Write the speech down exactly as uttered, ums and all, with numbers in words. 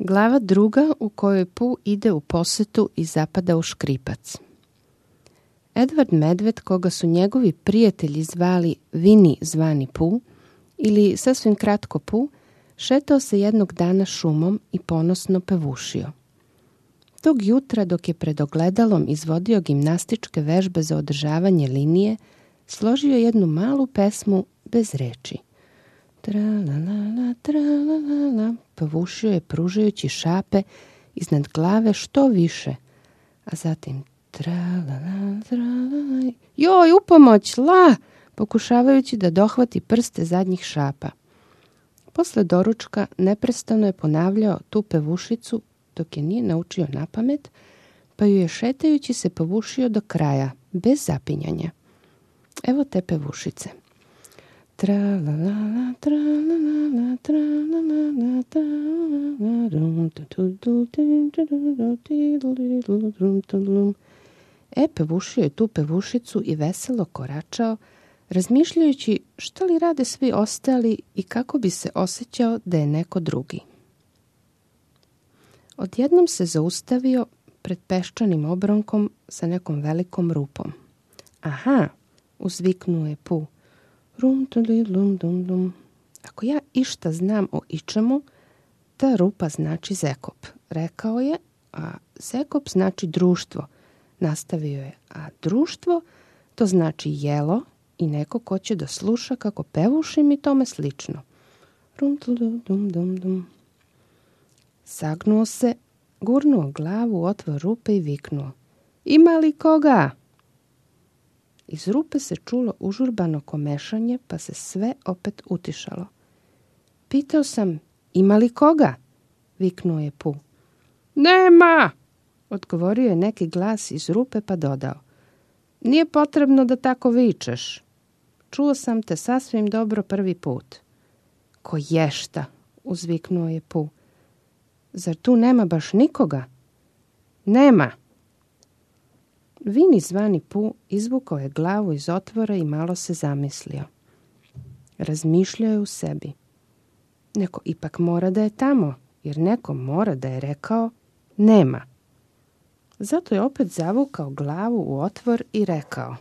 Glava druga u kojoj Pu ide u posetu i zapada u škripac. Edvard Medved, koga su njegovi prijatelji zvali Vini zvani Pu, ili sasvim kratko Pu, šetao se jednog dana šumom i ponosno pevušio. Tog jutra, dok je pred ogledalom izvodio gimnastičke vežbe za održavanje linije, složio jednu malu pesmu bez reči. Tra-la-la-la, tra-la-la-la, pevušio je pružajući šape iznad glave što više, a zatim tra-la-la, tra-la-la, joj, upomoć, la, pokušavajući da dohvati prste zadnjih šapa. Posle doručka neprestano je ponavljao tu pevušicu dok je nije naučio napamet, pa ju je šetajući se pevušio do kraja, bez zapinjanja. Evo te pevušice. Tra-la-la-la, tra-la-la-la, tra-la-la-la, tra-la-la-la. E, pevušio je tu pevušicu i veselo koračao, razmišljajući šta li rade svi ostali i kako bi se osjećao da je neko drugi. Odjednom se zaustavio pred peščanim obronkom sa nekom velikom rupom. Aha, uzviknuo je Pu. Rum, tuli, lum, dum, dum. Ako ja išta znam o ičemu, ta rupa znači Zekop, rekao je, a Zekop znači društvo, nastavio je, a društvo to znači jelo i neko ko će da sluša kako pevušim i tome slično. Rum, tuli, dum, dum, dum. Sagnuo se, gurnuo glavu u otvor rupe i viknuo. Ima li koga? Iz rupe se čulo užurbano komešanje, pa se sve opet utišalo. Pitao sam, ima li koga? Viknuo je Pu. Nema! Odgovorio je neki glas iz rupe pa dodao. Nije potrebno da tako vičeš. Čuo sam te sasvim dobro prvi put. Ko ješta? Uzviknuo je Pu. Zar tu nema baš nikoga? Nema! Vini zvani Pu izvukao je glavu iz otvora i malo se zamislio. Razmišljao je u sebi. Neko ipak mora da je tamo, jer neko mora da je rekao nema. Zato je opet zavukao glavu u otvor i rekao.